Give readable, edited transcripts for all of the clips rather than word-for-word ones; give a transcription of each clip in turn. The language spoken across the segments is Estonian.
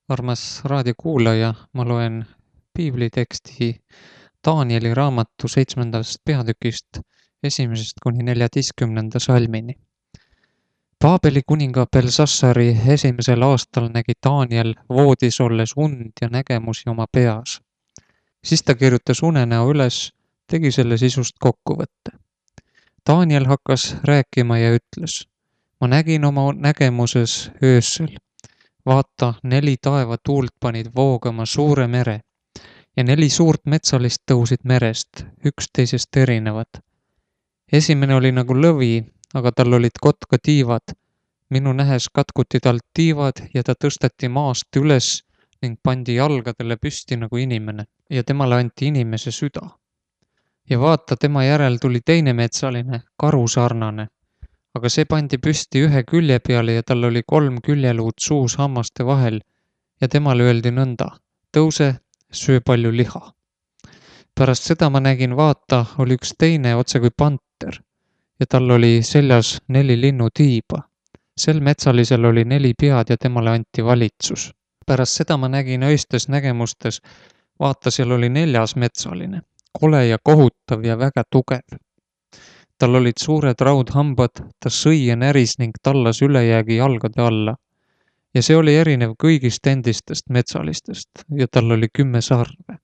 Armas raadiokuulaja, ma loen piibliteksti Taanieli raamatu 7. peatükist 1. kuni 14. salmini. Paabeli kuninga Belsassari esimesel aastal nägi Taaniel voodis olles und ja nägemusi oma peas. Siis ta kirjutas unenäo üles, tegi selle sisust kokkuvõtte. Taaniel hakkas rääkima ja ütles: ma nägin oma nägemuses öösel. Vaata, 4 taevatuult panid voogama suure mere ja 4 suurt metsalist tõusid merest, üksteisest erinevad. Esimene oli nagu lõvi, aga tal olid kotkatiivad. Minu nähes katkuti talt tiivad ja ta tõsteti maast üles ning pandi jalgadele püsti nagu inimene ja temale anti inimese süda. Ja vaata, tema järel tuli teine metsaline, karusarnane. Aga see pandi püsti ühe külje peale ja tal oli 3 küljeluud suus hammaste vahel ja temale öeldi nõnda: tõuse, söö palju liha. Pärast seda ma nägin, vaata, oli üks teine otse kui panter ja tal oli seljas 4 linnutiiba. Sel metsalisel oli 4 pead ja temale anti valitsus. Pärast seda ma nägin öistes nägemustes, vaata, seal oli 4. metsaline, kole ja kohutav ja väga tugev. Tal olid suured raudhambad, ta sõi ja näris ning tallas ülejäägi jalgade alla. Ja see oli erinev kõigist endistest metsalistest ja tal oli 10 sarve.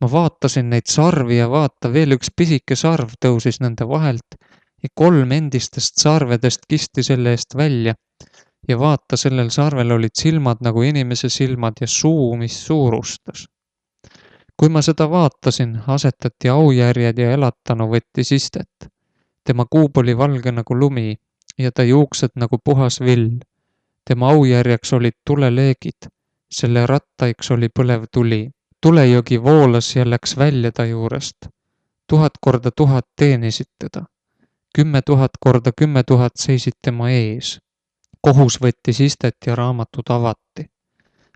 Ma vaatasin neid sarvi ja vaata, veel üks pisike sarv tõusis nende vahelt ja 3 endistest sarvedest kisti selle eest välja. Ja vaata, sellel sarvel olid silmad nagu inimese silmad ja suu, mis suurustas. Kui ma seda vaatasin, asetati aujärjed ja elatanu võttis istet. Tema kuub oli valge nagu lumi ja ta juuksed nagu puhas vill. Tema aujärjeks olid tuleleegid, selle rattaiks oli põlev tuli. Tulejogi voolas ja läks välja ta juurest. 1000 korda 1000 teenisid teda. 10 000 korda 10 000 seisid tema ees. Kohus võttis istet ja raamatud avati.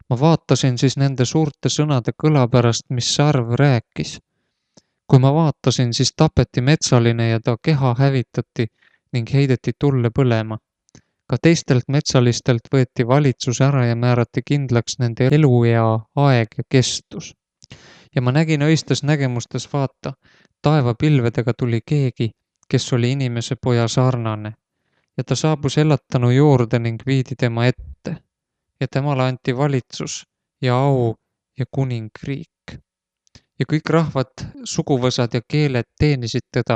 Ma vaatasin siis nende suurte sõnade kõla pärast, mis sarv rääkis. Kui ma vaatasin, siis tapeti metsaline ja ta keha hävitati ning heideti tulle põlema. Ka teistelt metsalistelt võeti valitsus ära ja määrati kindlaks nende eluea aeg ja kestus. Ja ma nägin öistes nägemustes, vaata, taevapilvedega tuli keegi, kes oli inimese poja sarnane. Ja ta saabus elatanu juurde ning viidi tema ette. Ja temale anti valitsus ja au ja kuningriik. Ja kõik rahvad, suguvõsad ja keeled teenisid teda.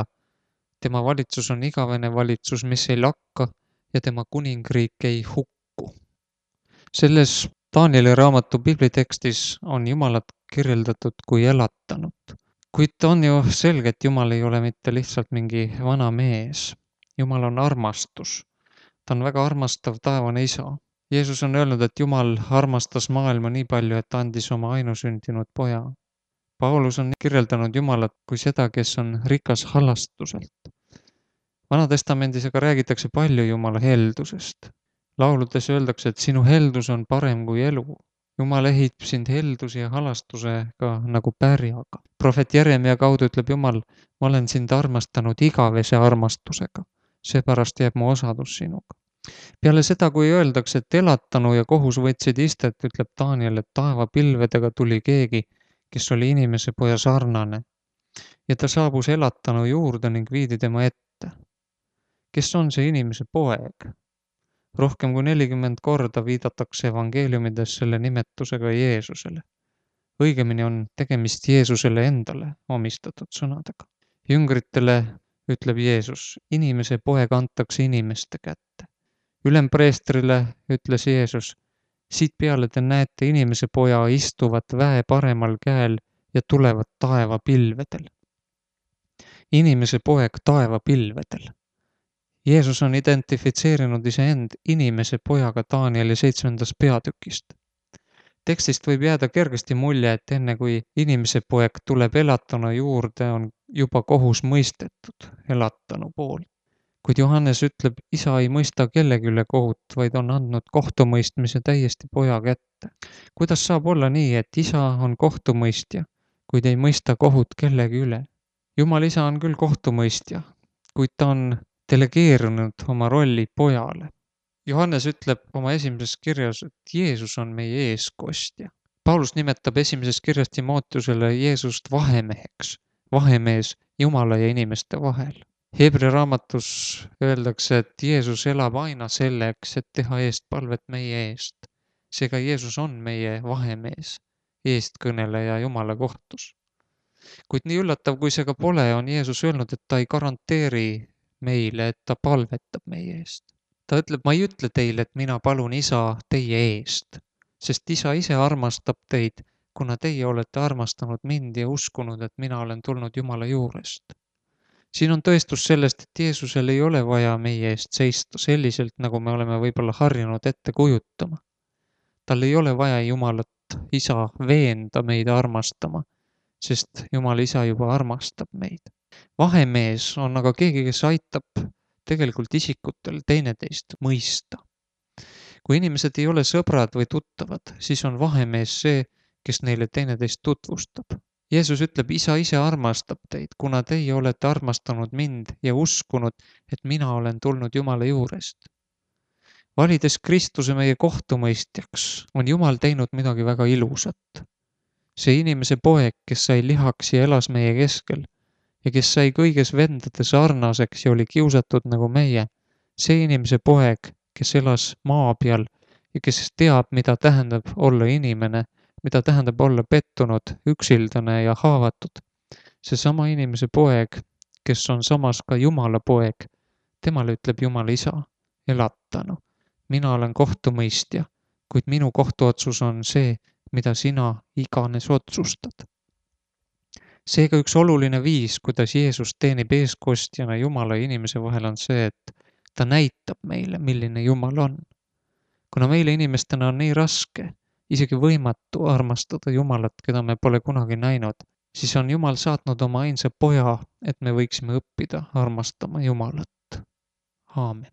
Tema valitsus on igavene valitsus, mis ei lakka ja tema kuningriik ei hukku. Selles Taanieli raamatu piiblitekstis on Jumalat kirjeldatud kui elatanut. Kuid on ju selge, et Jumal ei ole mitte lihtsalt mingi vana mees. Jumal on armastus. Ta on väga armastav taevane isa. Jeesus on öelnud, et Jumal armastas maailma nii palju, et andis oma ainusündinud poja. Paulus on kirjeldanud Jumalat kui seda, kes on rikas halastuselt. Vanatestamendis aga räägitakse palju Jumala heldusest. Lauludes öeldakse, et sinu heldus on parem kui elu. Jumal ehib sind helduse ja halastusega nagu pärjaga. Prohvet Jeremia kaudu ütleb Jumal: ma olen sind armastanud igavese armastusega. Seepärast jääb mu osadus sinuga. Peale seda, kui öeldakse, et elatanu ja kohus võtsid istet, ütleb Taaniel, et taevapilvedega tuli keegi, kes oli inimese poja sarnane. Ja ta saabus elatanu juurde ning viidi tema ette. Kes on see inimese poeg? Rohkem kui 40 korda viidatakse evangeeliumides selle nimetusega Jeesusele. Õigemini on tegemist Jeesusele endale omistatud sõnadega. Jüngritele ütleb Jeesus: inimese poeg antakse inimeste kätte. Ülempreestrile ütles Jeesus: siit peale te näete inimese poja istuvat väe paremal käel ja tulevat taevapilvedel. Inimese poeg taevapilvedel. Jeesus on identifitseerinud iseend inimese pojaga Taanieli 7. peatükist. Tekstist võib jääda kergesti mulje, et enne kui inimese poeg tuleb elatanu juurde, on juba kohus mõistetud elatanu poolt. Kuid Johannes ütleb, isa ei mõista kellegi üle kohut, vaid on andnud kohtumõistmise täiesti poja kätte. Kuidas saab olla nii, et isa on kohtumõistja, kuid ei mõista kohut kellegi üle? Jumal isa on küll kohtumõistja, kuid ta on delegeerinud oma rolli pojale. Johannes ütleb oma esimeses kirjas, et Jeesus on meie eeskostja. Paulus nimetab esimeses kirjas Timoteusele Jeesust vahemeheks, vahemees Jumala ja inimeste vahel. Hebra raamatus öeldakse, et Jeesus elab aina selleks, et teha eestpalvet meie eest. Seega Jeesus on meie vahemees, eestkõneleja Jumala kohtus. Kuid nii üllatav, kui see ka pole, on Jeesus öelnud, et ta ei garanteeri meile, et ta palvetab meie eest. Ta ütleb, ma ei ütle teile, et mina palun Isa teie eest, sest Isa ise armastab teid, kuna teie olete armastanud mind ja uskunud, et mina olen tulnud Jumala juurest. Siin on tõestus sellest, et Jeesusel ei ole vaja meie eest seista selliselt, nagu me oleme võib-olla harjunud ette kujutama. Tal ei ole vaja Jumalat Isa veenda meid armastama, sest Jumal Isa juba armastab meid. Vahemees on aga keegi, kes aitab tegelikult isikutel teineteist mõista. Kui inimesed ei ole sõbrad või tuttavad, siis on vahemees see, kes neile teineteist tutvustab. Jeesus ütleb, Isa ise armastab teid, kuna teie olete armastanud mind ja uskunud, et mina olen tulnud Jumala juurest. Valides Kristuse meie kohtumõistjaks, on Jumal teinud midagi väga ilusat. See inimese poeg, kes sai lihaks ja elas meie keskel ja kes sai kõiges vendade sarnaseks ja oli kiusatud nagu meie, see inimese poeg, kes elas maa peal ja kes teab, mida tähendab olla inimene, mida tähendab olla pettunud, üksildane ja haavatud. Seesama inimese poeg, kes on samas ka Jumala poeg, temale ütleb Jumala Isa, elatanu. Mina olen kohtumõistja, kuid minu kohtuotsus on see, mida sina iganes otsustad. Seega üks oluline viis, kuidas Jeesus teenib eeskostjana Jumala ja inimese vahel on see, et ta näitab meile, milline Jumal on. Kuna meile inimestena on nii raske, isegi võimatu armastada Jumalat, keda me pole kunagi näinud, siis on Jumal saatnud oma ainsa poja, et me võiksime õppida armastama Jumalat. Aamen.